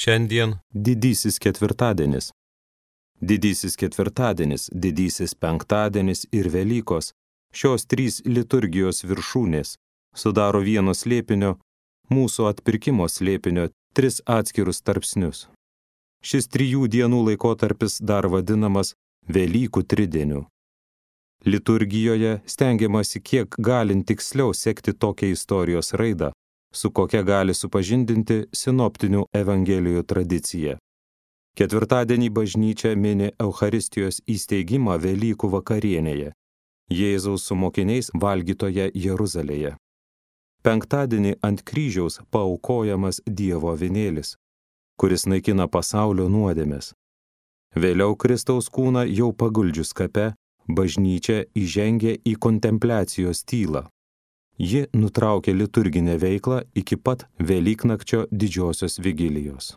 Šiandien Didysis ketvirtadienis. Didysis ketvirtadienis, Didysis penktadienis ir Velykos, šios trys liturgijos viršūnės, sudaro vieno slėpinio, mūsų atpirkimo slėpinio, tris atskirus tarpsnius. Šis 3 dienų laikotarpis dar vadinamas Velykų tridieniu. Liturgijoje stengiamasi kiek galint tiksliau sekti tokią istorijos raidą, su kokia gali supažindinti sinoptinių evangelijų tradicija. Ketvirtadienį bažnyčia mini Eucharistijos įsteigimą Velykų vakarienėje, Jėzaus su mokiniais valgytoje Jeruzalėje. Penktadienį ant kryžiaus paaukojamas Dievo avinėlis, kuris naikina pasaulio nuodėmes. Vėliau Kristaus kūną jau paguldžius kape, bažnyčia įžengė į kontempliacijos tylą. Ji nutraukė liturginę veiklą iki pat Velyknakčio didžiosios vigilijos.